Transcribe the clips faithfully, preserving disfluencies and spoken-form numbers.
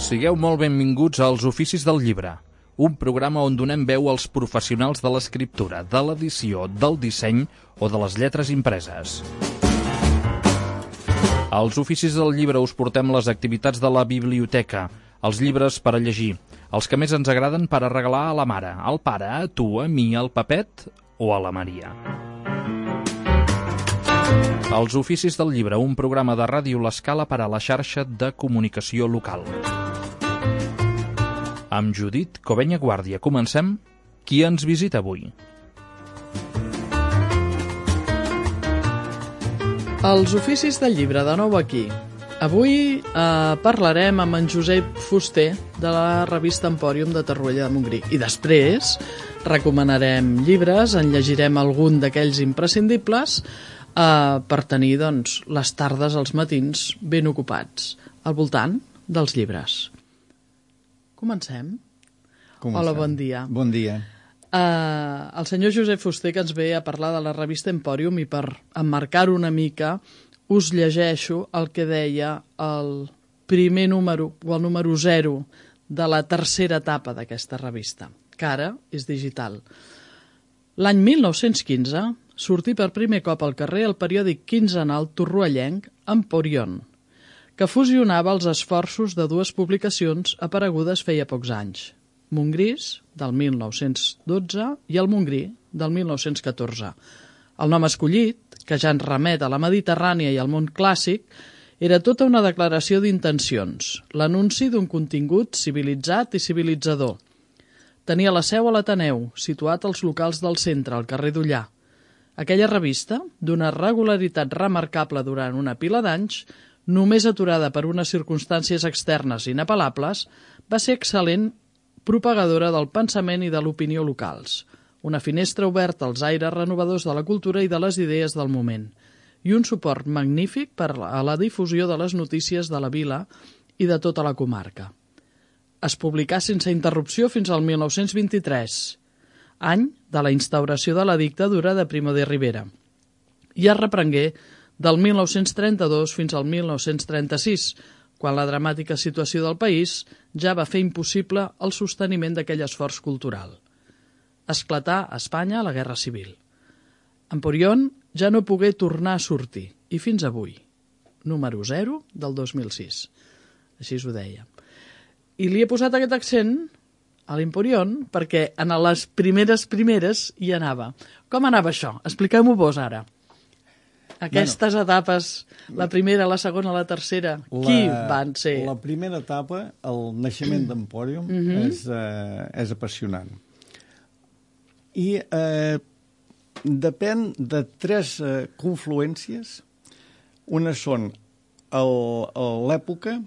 Sigueu molt benvinguts als Oficis del Llibre, un programa on donem veu als professionals de l'escriptura, de l'edició, del disseny o de les lletres impreses. Als Oficis del Llibre us portem les activitats de la biblioteca, els llibres per a llegir, els que més ens agraden per a regalar a la mare, al pare, a tu, a mi, al Pepet o a la Maria. Els Oficis del Llibre, un programa de Ràdio L'Escala per a la xarxa de comunicació local. Amb Judit Covenya Guàrdia comencem. Qui ens visita avui? Els Oficis del Llibre, de nou aquí. Avui eh, parlarem amb en Josep Fuster de la revista Empòrium de Torroella de Montgrí. I després recomanarem llibres, en llegirem algun d'aquells imprescindibles eh, per tenir doncs, les tardes, els matins ben ocupats al voltant dels llibres. Comencem? Comencem. Hola, bon dia. Bon dia. Uh, el senyor Josep Fuster, que ens ve a parlar de la revista Empòrium, i per emmarcar una mica us llegeixo el que deia el primer número, o el número zero, de la tercera etapa d'aquesta revista, que ara és digital. L'any mil nou-cents quinze sortí per primer cop al carrer el periòdic quinzenal torroellenc Emporion, que fusionava els esforços de dues publicacions aparegudes feia pocs anys, Montgrís, del mil nou-cents dotze, i el Montgrí, del mil nou-cents catorze. El nom escollit, que ja ens remet a la Mediterrània i al món clàssic, era tota una declaració d'intencions, l'anunci d'un contingut civilitzat i civilitzador. Tenia la seu a l'Ateneu, situat als locals del centre, al carrer d'Ullà. Aquella revista, d'una regularitat remarcable durant una pila d'anys, només aturada per unes circumstàncies externes inapel·lables, va ser excel·lent propagadora del pensament i de l'opinió locals, una finestra oberta als aires renovadors de la cultura i de les idees del moment, i un suport magnífic per a la difusió de les notícies de la vila i de tota la comarca. Es publicà sense interrupció fins al mil nou-cents vint-i-tres, any de la instauració de la dictadura de Primo de Rivera, i es reprengué del mil nou-cents trenta-dos fins al mil nou-cents trenta-sis, quan la dramàtica situació del país ja va fer impossible el sosteniment d'aquell esforç cultural. Esclatà a Espanya la Guerra Civil. Emporion ja no pogué tornar a sortir, i fins avui, número zero del dos mil sis. Així ho deia. I li he posat aquest accent a l'Emporion perquè en les primeres primeres hi anava. Com anava això? Expliqueu-m'ho vos ara. Aquestes bueno, etapes, la primera, la segona, la tercera, la, qui van ser? La primera etapa, el naixement d'Empòrium, mm -hmm. és, eh, és apassionant. I eh, depèn de tres eh, confluències. Una són l'època,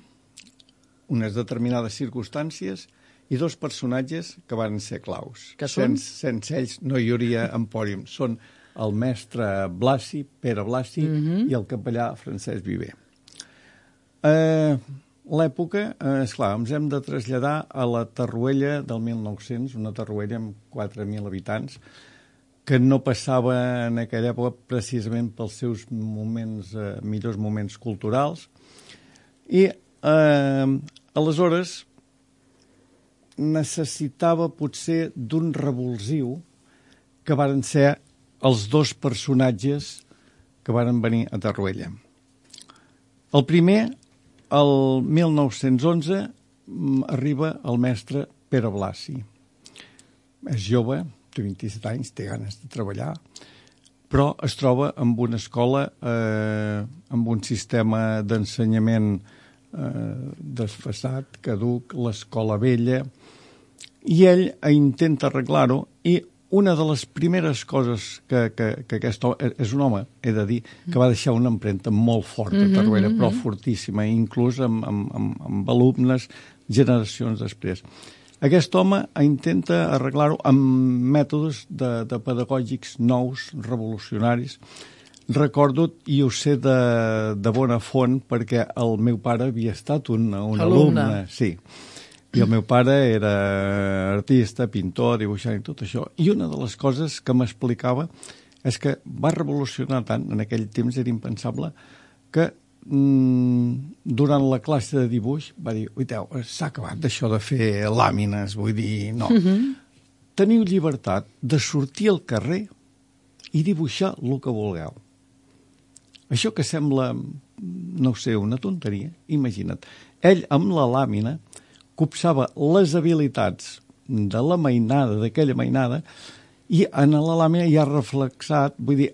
unes determinades circumstàncies, i dos personatges que van ser claus. Que són? Sense, sense ells no hi hauria Empòrium. Són el mestre Blasi, Pere Blasi, mm-hmm. i el capellà Francesc Viver. Eh, L'època, eh, esclar, ens hem de traslladar a la Torroella del mil nou-cents, una Torroella amb quatre mil habitants, que no passava en aquella època precisament pels seus moments, eh, millors moments culturals. I eh, aleshores necessitava potser d'un revulsiu que varen ser els dos personatges que varen venir a Torroella. El primer, el mil nou-cents onze, arriba el mestre Pere Blasi. És jove, té vint-i-set anys, té ganes de treballar, però es troba amb una escola, eh, amb un sistema d'ensenyament eh, desfasat, caduc, l'escola vella, i ell intenta arreglar-ho, i una de les primeres coses que, que, que aquest home, és un home, he de dir, que va deixar una empremta molt forta a Torroella, mm-hmm. però fortíssima, inclús amb, amb, amb, amb alumnes generacions després. Aquest home intenta arreglar-ho amb mètodes de, de pedagògics nous, revolucionaris. Recordo, i ho sé de, de bona font, perquè el meu pare havia estat un, un alumne. alumne. Sí. I el meu pare era artista, pintor, dibuixant i tot això. I una de les coses que m'explicava és que va revolucionar tant, en aquell temps era impensable, que durant la classe de dibuix, va dir, oiteu, s'ha acabat això de fer làmines, vull dir, no. Uh-huh. Teniu llibertat de sortir al carrer i dibuixar el que vulgueu. Això que sembla, no sé, una tonteria, imagina't. Ell, amb la làmina, copsava les habilitats de la mainada, d'aquella mainada, i en la làmina hi ha reflexat, vull dir,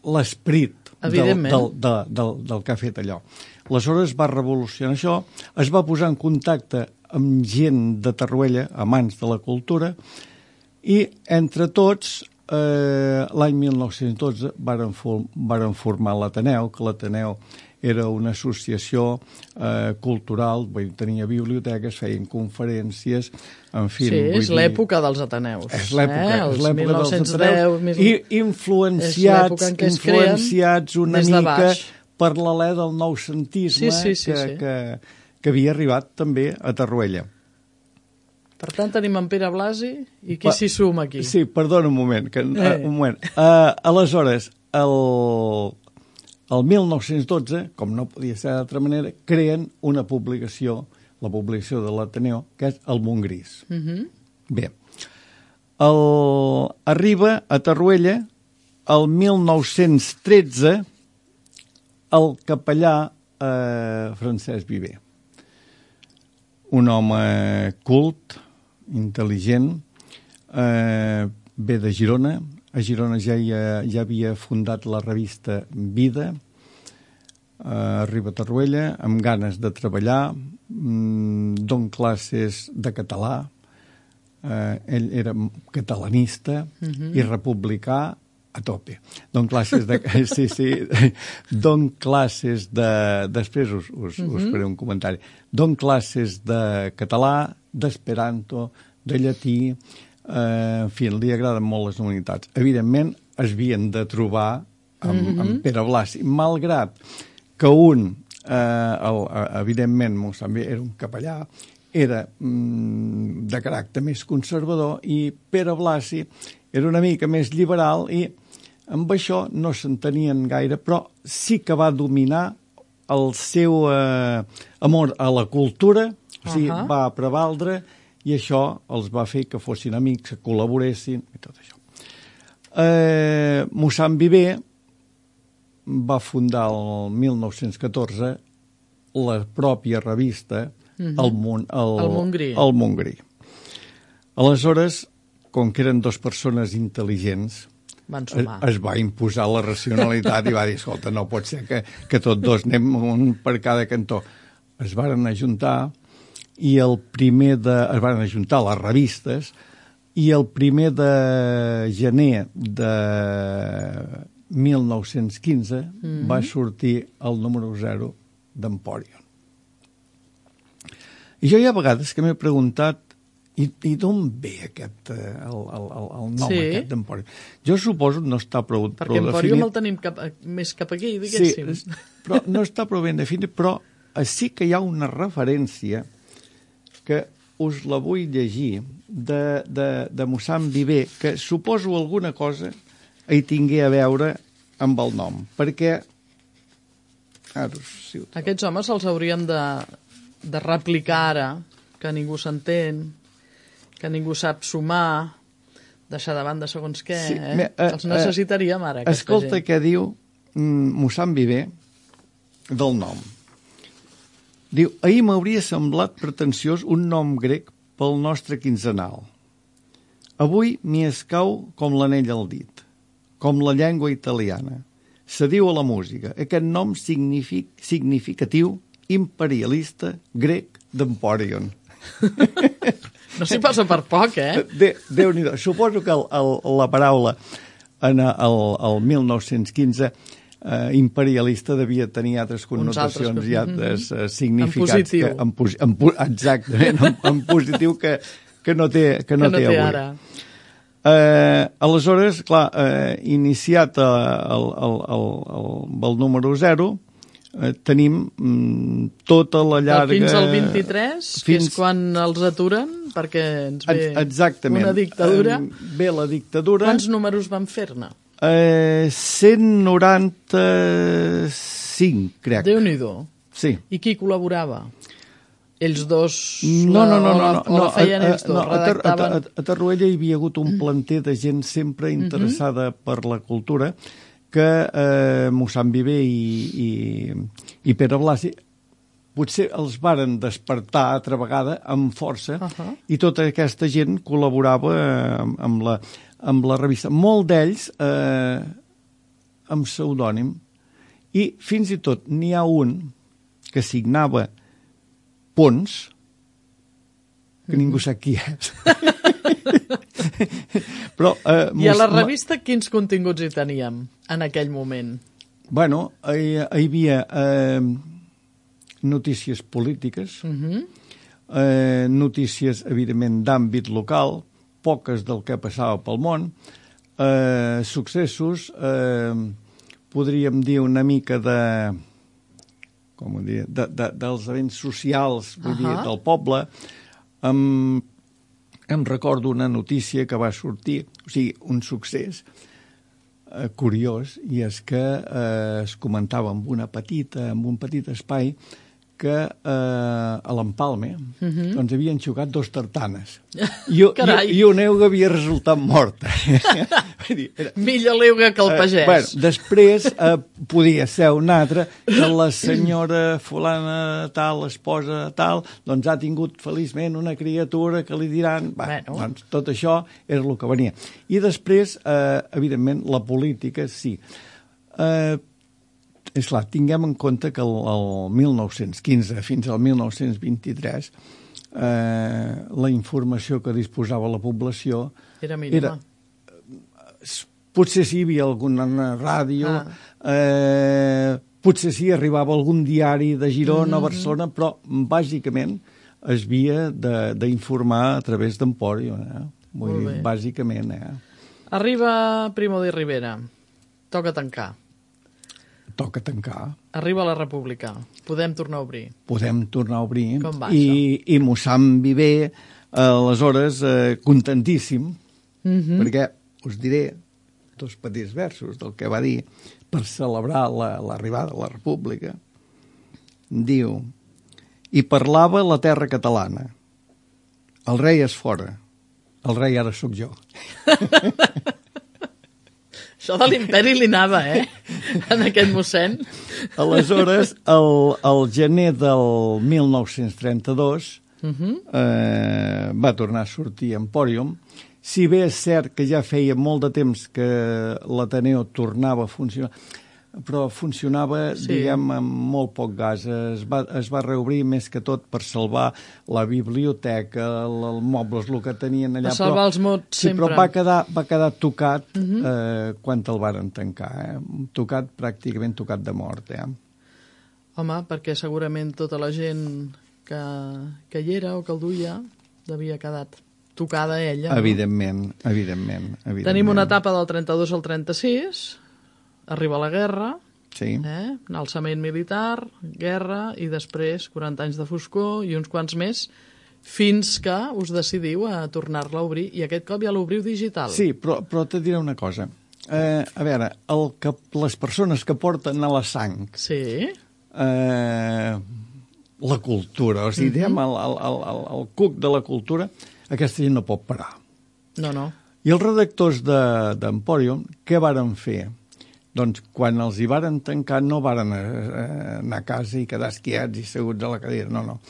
l'esperit del, del, del, del, del que ha fet allò. Aleshores va revolucionar això, es va posar en contacte amb gent de Torroella, amants de la cultura, i entre tots, eh, l'any mil nou-cents dotze, varen, for, varen formar l'Ateneu, que l'Ateneu era una associació eh, cultural, vull dir, tenia biblioteques, feien conferències, en fi... Sí, és dir, l'època dels Ateneus. És l'època, eh? és l'època mil nou-cents deu, dels Ateneus. Més... I influenciats, influenciats una mica per l'alè del noucentisme sí, sí, sí, que, sí. que, que havia arribat també a Torroella. Per tant, tenim en Pere Blasi i qui s'hi suma aquí? Sí, perdona un moment. Que, eh. uh, un moment. Uh, aleshores, el... El mil nou-cents dotze, com no podia ser d'altra manera, creen una publicació, la publicació de l'Ateneu, que és el Montgris. Uh-huh. Bé, el... arriba a Torroella el mil nou-cents tretze el capellà eh, Francesc Viver. Un home cult, intel·ligent, eh, ve de Girona. A Girona ja, ja, ja havia fundat la revista Vida, eh, arriba a Torroella, amb ganes de treballar, mm, don classes de català, eh, ell era catalanista uh-huh. i republicà a tope. Don classes de... sí, sí, don classes de... Després us, us, uh-huh. us faré un comentari. Don classes de català, d'esperanto, de llatí... Uh, en fi, li agraden molt les humanitats. Evidentment, es havien de trobar amb, mm-hmm. amb Pere Blasi, malgrat que un, uh, el, uh, evidentment, Montsambi era un capellà, era mm, de caràcter més conservador, i Pere Blasi era una mica més liberal, i amb això no s'entenien gaire, però sí que va dominar el seu uh, amor a la cultura, o sigui, uh-huh. va prevaldre, i això els va fer que fossin amics, que col·laboressin, i tot això. Eh, Mossèn Viver va fundar el mil nou-cents catorze la pròpia revista uh-huh. el, Mon, el, el Montgrí. El Montgrí. Aleshores, com que eren dues persones intel·ligents, van sumar. Es, es va imposar la racionalitat i va dir, escolta, no pot ser que, que tots dos anem un per cada cantó. Es varen ajuntar i el primer de... es van ajuntar les revistes i el primer de gener de mil nou-cents quinze mm-hmm. va sortir el número zero d'Empòrion. I jo hi ha vegades que m'he preguntat i, i d'on ve aquest, el, el, el nom sí. aquest d'Empòrion? Jo suposo que no està prou, perquè prou definit. Perquè Empòrion el tenim cap, més cap aquí, diguéssim. Sí, però no està prou ben definit, però sí que hi ha una referència que us la vull llegir, de, de, de Mossèn Viver, que suposo alguna cosa hi tingué a veure amb el nom, perquè... Ara, si aquests homes els hauríem de, de replicar ara, que ningú s'entén, que ningú sap sumar, deixar de banda segons què, sí, eh? eh? Els necessitaríem ara, aquesta escolta gent. Què diu mm, Mossèn Viver del nom. Diu, ahir m'hauria semblat pretensiós un nom grec pel nostre quinzenal. Avui m'hi escau com l'anell al dit, com la llengua italiana. Se diu a la música. Aquest nom signific, significatiu, imperialista, grec d'Empòrion. No s'hi passa per poc, eh? De, Déu-n'hi-do. Suposo que el, el, la paraula en el, el mil nou-cents quinze Uh, imperialista devia tenir altres connotacions altres... i altres uh, significats. En positiu. Que, en, posi en, exactament, en, en positiu que, que no té, que no que no té, té avui. ara. Uh, aleshores, clar, uh, iniciat uh, el, el, el, el, el número zero, uh, tenim um, tota la llarga... Fins al vint-i-tres, fins... que és quan els aturen, perquè ens ve exactament. Una dictadura. Um, ve la dictadura. Quants números van fer-ne? Eh, cent noranta-sis cinc, crec. Déu-n'hi-do. Sí. I qui col·laborava? Ells dos no, no, no, o la, no, o la feien no, ells dos? No, a, redactaven... a, a, a Tarruella hi havia hagut un planter de gent sempre interessada mm-hmm. per la cultura, que eh, Mossèn Viver i, i, i Pere Blasi potser els varen despertar altra vegada amb força uh-huh. i tota aquesta gent col·laborava amb, amb, la, amb la revista. Molt d'ells eh, amb pseudònim, i fins i tot n'hi ha un que signava Pons, que ningú sap qui és. Però, eh, I a la revista quins continguts hi teníem en aquell moment? Bueno, hi, hi havia eh, notícies polítiques, uh-huh. eh, notícies, evidentment, d'àmbit local, poques del que passava pel món, eh, successos, eh, podríem dir una mica de... com ho dir, de, de, dels events socials, vull uh-huh. dir, del poble. Em, em recordo una notícia que va sortir, o sigui, un succés eh, curiós, i és que eh, es comentava amb una petita, amb un petit espai, que eh, a l'Empalme uh-huh. doncs havien xocat dos tartanes. I, i, i una euga havia resultat morta. Era... Millor l'euga que el pagès. Eh, bueno, després eh, podia ser una altra, que la senyora fulana tal, esposa tal, doncs ha tingut feliçment una criatura que li diran... Bah, bueno. Doncs tot això era el que venia. I després, eh, evidentment, la política, sí. Eh, és clar, tinguem en compte que el, el mil nou-cents quinze fins al mil nou-cents vint-i-tres eh, la informació que disposava la població era mínima. Era, potser sí hi havia alguna ràdio, ah. eh, potser sí arribava algun diari de Girona mm-hmm. o Barcelona, però bàsicament es havia d'informar a través d'Empòrium. Eh? Vull dir, bàsicament. Eh? Arriba Primo de Rivera. Toca tancar. Toca tancar. Arriba la República. Podem tornar a obrir. Podem tornar a obrir. Com va, I, això? I Mossèn Viver, eh, aleshores, eh, contentíssim, mm-hmm. perquè us diré dos petits versos del que va dir per celebrar l'arribada la, de la República. Diu: i parlava la terra catalana. El rei és fora. El rei ara sóc jo. Això de l'imperi li anava, eh? En aquest mossèn. Aleshores, el, el gener del mil nou-cents trenta-dos uh-huh. eh, va tornar a sortir Empòrium. Si bé és cert que ja feia molt de temps que l'Ateneo tornava a funcionar, però funcionava, sí. diguem, amb molt poc gas. Es va, es va reobrir més que tot per salvar la biblioteca, els mobles, el que tenien allà. Per salvar però, els mots, sí, sempre. Però va quedar, va quedar tocat uh-huh. eh, quan el varen tancar. Eh? Tocat, pràcticament tocat de mort. Eh? Home, perquè segurament tota la gent que, que hi era o que el duia devia quedat tocada ella. Evidentment, no? evidentment, evidentment. Tenim una etapa del trenta-dos al trenta-sis... Arriba la guerra, sí. eh? Un alçament militar, guerra, i després quaranta anys de foscor i uns quants més, fins que us decidiu a tornar-la a obrir, i aquest cop ja l'obriu digital. Sí, però, però te diré una cosa. Eh, a veure, el que, les persones que porten a la sang sí. eh, la cultura, o sigui, mm-hmm. diguem, el, el, el, el cuc de la cultura, aquesta gent no pot parar. No, no. I els redactors d'Empòrium, què varen fer? Doncs quan els hi varen tancar no varen anar a casa i quedar esquiats i seguts a la cadira, no, no.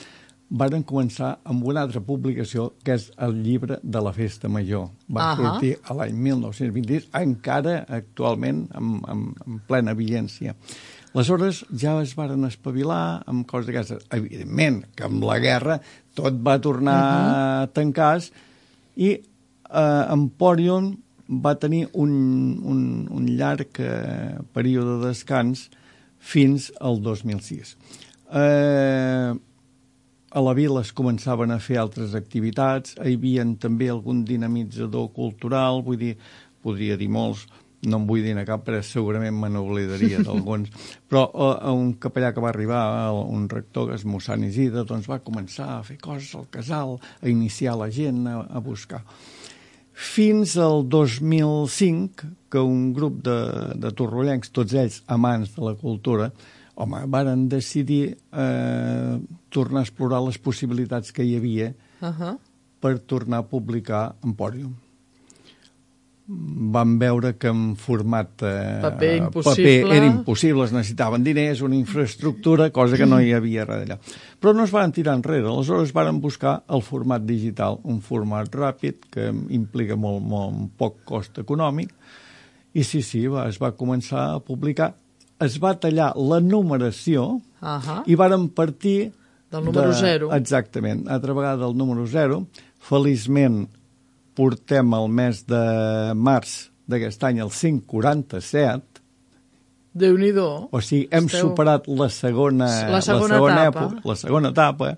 Varen començar amb una altra publicació, que és el llibre de la Festa Major. Va uh-huh. sortir a l'any mil nou-cents vint-i-sis, encara actualment en, en, en plena vigència. Aleshores ja es varen espavilar amb coses d'aquestes. Evidentment que amb la guerra tot va tornar uh-huh. a tancar i eh, Empòrium va tenir un, un, un llarg eh, període de descans fins al dos mil sis. Eh, a la vila es començaven a fer altres activitats, hi havia també algun dinamitzador cultural, vull dir, podria dir molts, no em vull dir a cap, però segurament me n'oblidaria d'alguns, però eh, un capellà que va arribar, un rector, que és mossèn Isidre, doncs va començar a fer coses al casal, a iniciar la gent a, a buscar. Fins al dos mil cinc, que un grup de, de torrollencs, tots ells amants de la cultura, home, varen decidir eh, tornar a explorar les possibilitats que hi havia uh-huh. per tornar a publicar Empòrium. Vam veure que en format eh, paper, impossible. paper era impossible, es necessitaven diners, una infraestructura, cosa que no hi havia res d'allà. Però no es van tirar enrere, aleshores varen buscar el format digital, un format ràpid que implica molt, molt poc cost econòmic, i sí, sí, va, es va començar a publicar. Es va tallar la numeració uh-huh. i varen partir del número de, zero. Exactament, altra vegada del número zero. Feliçment portem el mes de març d'aquest any el cent quaranta-set. Déu-n'hi-do. O sigui, hem Esteu... superat la segona, la segona, la segona etapa. època, la segona etapa.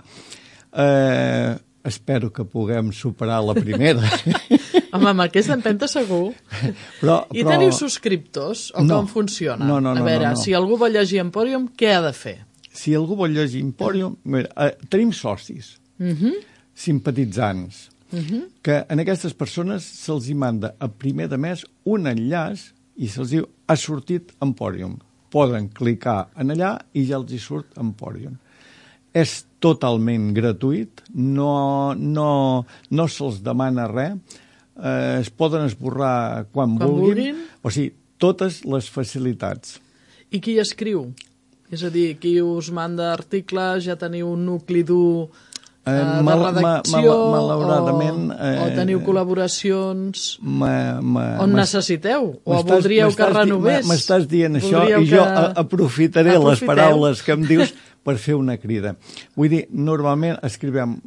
Eh, espero que puguem superar la primera. Home, amb aquesta empenta segur. Però, I però... teniu subscriptors? O no. com funciona? No, no, no. A veure, no, no. si algú vol llegir Empòrium, què ha de fer? Si algú vol llegir Empòrium, mira, eh, tenim socis, uh-huh. simpatitzants, uh-huh. que en aquestes persones se'ls hi manda a primer de mes un enllaç i se'ls diu ha sortit Empòrium. Poden clicar en allà i ja els hi surt Empòrium. És totalment gratuït, no, no, no se'ls demana res, eh, es poden esborrar quan, quan vulguin, vulguin, o sigui, totes les facilitats. I qui escriu? És a dir, qui us manda articles, ja teniu un nucli dur eh, de mal, redacció, mal, malauradament, o, eh, o teniu col·laboracions, ma, ma, on necessiteu, o voldríeu que renovés? M'estàs dient això voldríeu i jo que... aprofitaré Aprofiteu. les paraules que em dius per fer una crida. Vull dir, normalment escrivem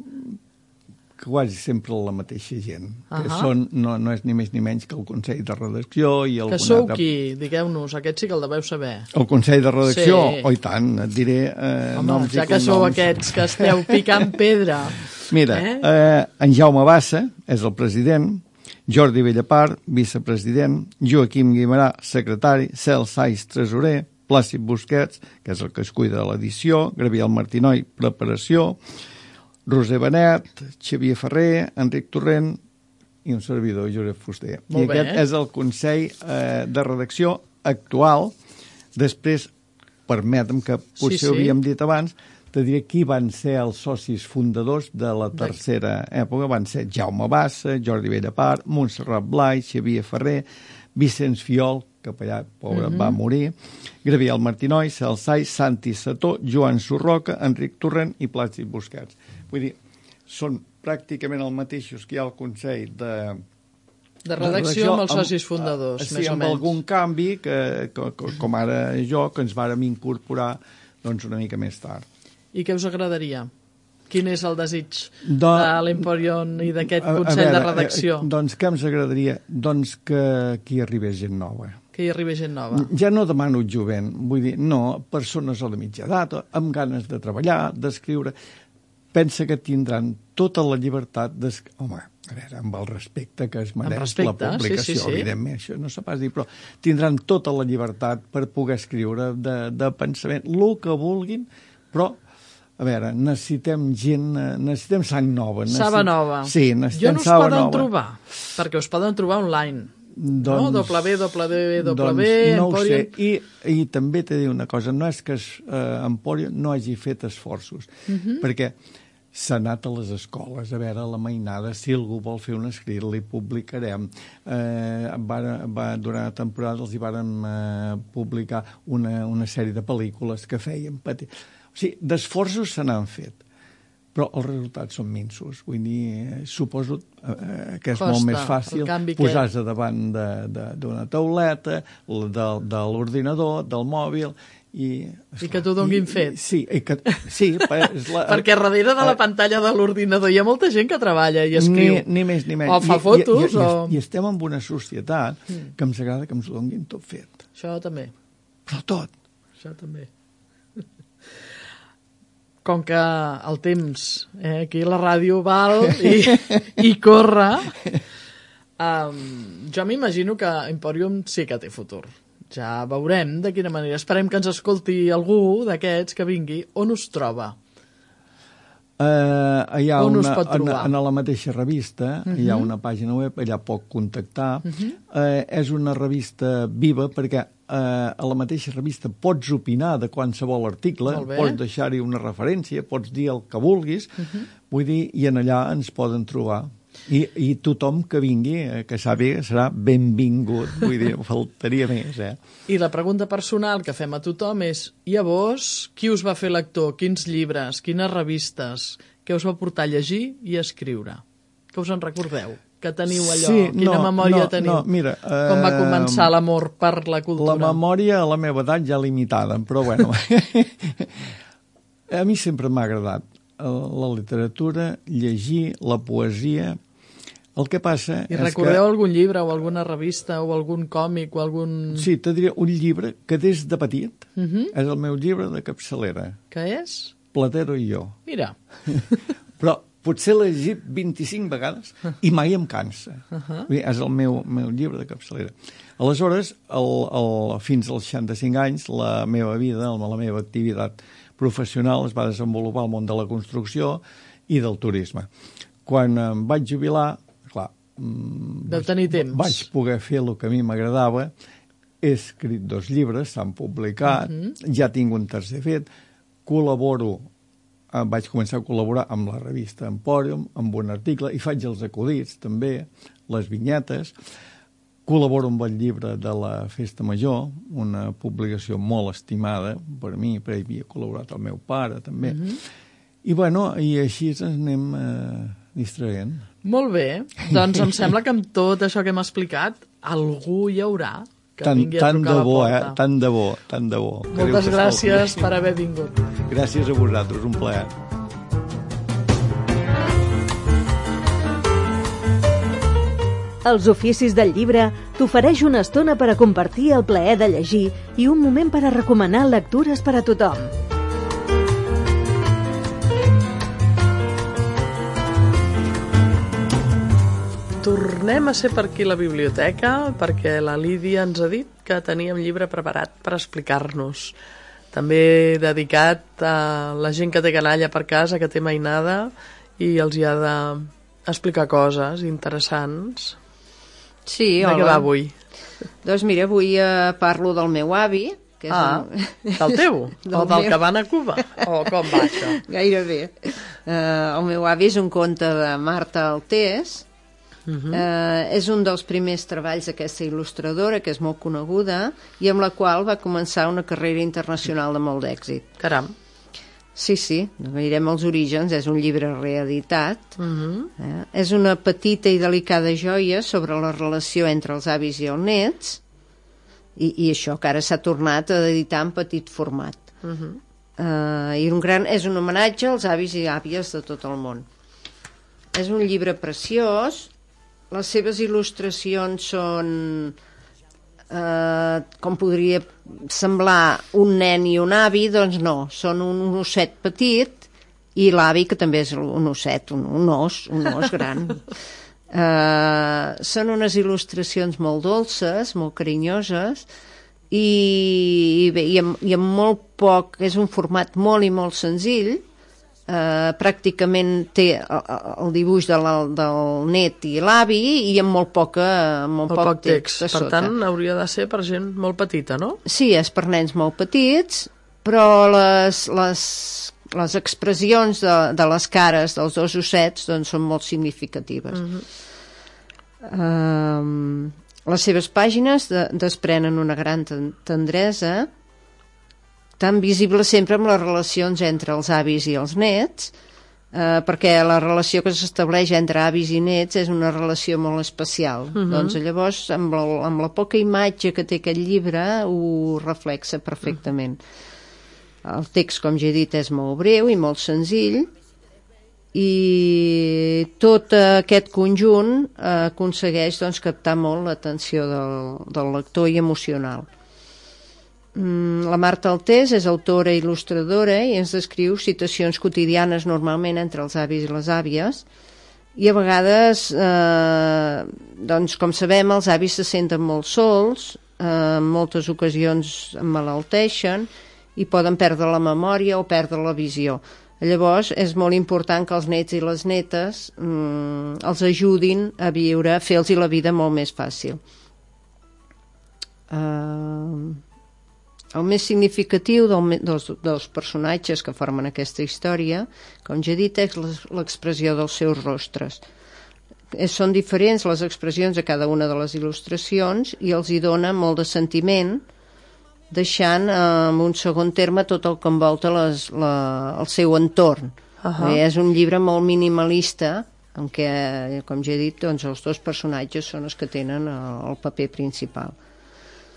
quasi sempre la mateixa gent, uh -huh. que són, no, no és ni més ni menys que el Consell de Redacció i que sou altre... qui? Digueu-nos, aquest sí que el deveu saber. El Consell de Redacció? Sí. Oh, i tant, et diré eh, Home, noms ja i que cognoms. sou aquests que esteu picant pedra. Mira, eh? Eh, en Jaume Bassa és el president, Jordi Bellapart, vicepresident, Joaquim Guimarà, secretari, Cel Saiz, tresorer, Plàcid Busquets, que és el que es cuida de l'edició, Gabriel Martinoi, preparació, Roser Benet, Xavier Ferrer, Enric Torrent i un servidor, Josep Fuster. Molt I bé. aquest és el Consell eh, de Redacció actual. Després, permetem que potser sí, sí. ho havíem dit abans, te diré qui van ser els socis fundadors de la tercera època. Van ser Jaume Bassa, Jordi Bellapart, Montserrat Blai, Xavier Ferrer, Vicenç Fiol, que allà, pobre, uh-huh. va morir, Gabriel Martinoi, Cel Saiz, Santi Sató, Joan Surroca, Enric Torrent i Plàcid Busquets. Vull dir, són pràcticament els mateixos que hi ha al Consell de... De redacció amb els socis fundadors, sí, més o amb menys. algun canvi, que, que, com ara jo, que ens vàrem incorporar doncs, una mica més tard. I què us agradaria? Quin és el desig Do... de l'Empòrium i d'aquest A- a Consell veure, de Redacció? eh, Doncs què ens agradaria? Doncs que aquí arribés gent nova. Que hi arribi gent nova. Ja no demano jovent, vull dir, no, persones o de mitja edat, amb ganes de treballar, d'escriure. Pensa que tindran tota la llibertat d'es... Home, a veure, amb el respecte que es mereix respecte, la publicació, sí, sí, sí. evidentment, això no s'ha pas dit, però tindran tota la llibertat per poder escriure de, de pensament, el que vulguin, però, a veure, necessitem gent, eh, necessitem sang nova. Necessitem... Saba nova. Sí, necessitem Jo no us saba poden nova. trobar, perquè us poden trobar online. Doncs, no? w w w punt doncs no ho sé. emporium. I, I també t'he de dir una cosa, no és que eh, Empòrium no hagi fet esforços, uh -huh. perquè s'ha anat a les escoles a veure la mainada, si algú vol fer un escrit li publicarem. Eh, va, va, durant la temporada els hi vàrem eh, publicar una, una sèrie de pel·lícules que feien patir. O sigui, d'esforços se n'han fet, però els resultats són minsos. Vull dir, suposo eh, que és Costa, molt més fàcil posar-se que... davant d'una tauleta, de, de l'ordinador, del mòbil, i, I que t'ho donin fet. I, sí, i que, sí és la, perquè darrere de la pantalla de l'ordinador hi ha molta gent que treballa i escriu. Ni, ni més ni menys. O fa I, fotos. I, i, o... i, I estem en una societat mm. que ens agrada que ens ho donin tot fet. Això també. Però tot. Això també. Com que el temps, eh, aquí la ràdio val i, i corre, um, jo m'imagino que Empòrium sí que té futur. Ja veurem de quina manera. Esperem que ens escolti algú d'aquests que vingui. On us troba? Uh, hi ha On una, us pot en, trobar? en la mateixa revista, uh-huh. hi ha una pàgina web, allà pot contactar. Uh-huh. Uh, és una revista viva perquè eh, a la mateixa revista pots opinar de qualsevol article, pots deixar-hi una referència, pots dir el que vulguis, uh-huh. vull dir, i en allà ens poden trobar. I, i tothom que vingui, eh, que sàpiga, serà benvingut, vull dir, faltaria més, eh? I la pregunta personal que fem a tothom és, i a vos, qui us va fer lector? Quins llibres? Quines revistes? Què us va portar a llegir i a escriure? Que us en recordeu? Que teniu allò? Sí, Quina no, memòria no, teniu? No, mira, eh, com va començar l'amor per la cultura? La memòria a la meva edat ja limitada, però bueno. A mi sempre m'ha agradat la literatura, llegir, la poesia. El que passa I és recordeu que... algun llibre o alguna revista o algun còmic o algun... Sí, te diré un llibre que des de petit uh -huh. és el meu llibre de capçalera. Què és? Platero i jo. Mira. Però potser l'he llegit vint-i-cinc vegades i mai em cansa. Uh -huh. Vull dir, és el meu, meu llibre de capçalera. Aleshores, el, el, fins als seixanta-cinc anys, la meva vida, la meva activitat professional es va desenvolupar al món de la construcció i del turisme. Quan em vaig jubilar, clar, Deu tenir temps. vaig poder fer el que a mi m'agradava. He escrit dos llibres, s'han publicat, uh -huh. ja tinc un tercer fet, col·laboro, eh, vaig començar a col·laborar amb la revista Empòrium, amb un article, i faig els acudits també, les vinyetes, col·laboro amb el llibre de la Festa Major, una publicació molt estimada per mi, perquè hi havia col·laborat el meu pare també, uh -huh. i bueno, i així ens anem eh, distraient. Molt bé, doncs em sembla que amb tot això que hem explicat, algú hi haurà que tant, vingui a tant trucar de a bo, la porta. Eh? Tant de bo, tant de bo. Moltes gràcies per haver vingut. Gràcies a vosaltres, un plaer. Els oficis del llibre t'ofereix una estona per a compartir el plaer de llegir i un moment per a recomanar lectures per a tothom. Tornem a ser per aquí a la biblioteca perquè la Lídia ens ha dit que teníem llibre preparat per explicar-nos. També dedicat a la gent que té canalla per casa, que té mainada i els hi ha d'explicar coses interessants. Sí, de hola. què va avui? Doncs mira, avui eh, parlo del meu avi. Que és ah, un... del teu? del o del meu... que van a Cuba? O com va això? Gairebé. Uh, el meu avi és un conte de Marta Altés. Uh -huh. uh, és un dels primers treballs d'aquesta il·lustradora, que és molt coneguda, i amb la qual va començar una carrera internacional de molt d'èxit. Caram. Sí, sí, mirem els orígens, és un llibre reeditat. Uh -huh. eh? És una petita i delicada joia sobre la relació entre els avis i els nets, i, i això que ara s'ha tornat a editar en petit format. Uh -huh. uh, i un gran, és un homenatge als avis i àvies de tot el món. És un llibre preciós. Les seves il·lustracions són, eh, com podria semblar, un nen i un avi, doncs no, són un, un osset petit i l'avi, que també és un osset, un, un os, un os gran. eh, són unes il·lustracions molt dolces, molt carinyoses, i, i bé, i amb, i amb molt poc, és un format molt i molt senzill. Uh, pràcticament té el, el dibuix de la, del net i l'avi i amb molt, poca, molt, molt poc text, text per tant hauria de ser per gent molt petita, no? Sí, és per nens molt petits, però les, les, les expressions de, de les cares dels dos ossets doncs, són molt significatives. Uh-huh. uh, les seves pàgines de, desprenen una gran tendresa, tan visible sempre amb les relacions entre els avis i els nets, eh, perquè la relació que s'estableix entre avis i nets és una relació molt especial. Uh-huh. Doncs llavors, amb la, amb la poca imatge que té aquest llibre, ho reflexa perfectament. Uh-huh. El text, com ja he dit, és molt breu i molt senzill, i tot aquest conjunt eh, aconsegueix doncs, captar molt l'atenció del, del lector i emocional. La Marta Altés és autora i il·lustradora i ens descriu situacions quotidianes normalment entre els avis i les àvies, i a vegades eh, doncs com sabem els avis se senten molt sols, eh, en moltes ocasions emmalalteixen i poden perdre la memòria o perdre la visió. Llavors és molt important que els nets i les netes mm, els ajudin a viure, a fer-los la vida molt més fàcil. Uh, el més significatiu del, dels, dels personatges que formen aquesta història, com ja he dit, és l'expressió dels seus rostres. Són diferents les expressions a cada una de les il·lustracions i els hi dona molt de sentiment, deixant eh, en un segon terme tot el que envolta les, la, el seu entorn. Uh-huh. És un llibre molt minimalista en què, com ja he dit, doncs, els dos personatges són els que tenen el, el paper principal.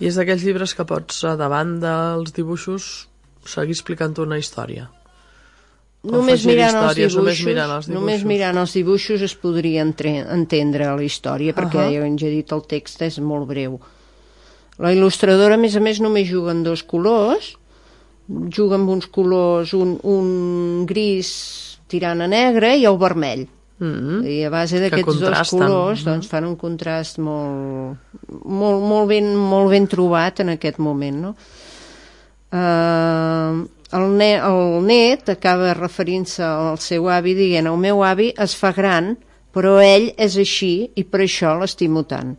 I és d'aquells llibres que pots, davant dels dibuixos, seguir explicant una història. Només mirant, històries, dibuixos, només mirant els dibuixos. Només mirant els dibuixos es podria entre, entendre la història, perquè, uh-huh. ja he dit, el text és molt breu. La il·lustradora, a més a més, només juga en dos colors, juga amb uns colors, un, un gris tirant a negre i el vermell. Mm-hmm. I a base d'aquests dos colors doncs, fan un contrast molt, molt, molt, ben, molt ben trobat en aquest moment, no? Uh, el, ne el net acaba referint-se al seu avi dient: el meu avi es fa gran, però ell és així i per això l'estimo tant.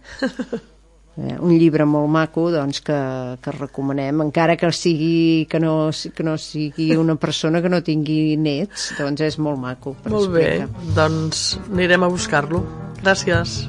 Eh, un llibre molt maco, doncs, que, que recomanem, encara que sigui que no, que no sigui una persona que no tingui nets, doncs és molt maco per molt explicar. Bé, doncs anirem a buscar-lo. Gràcies.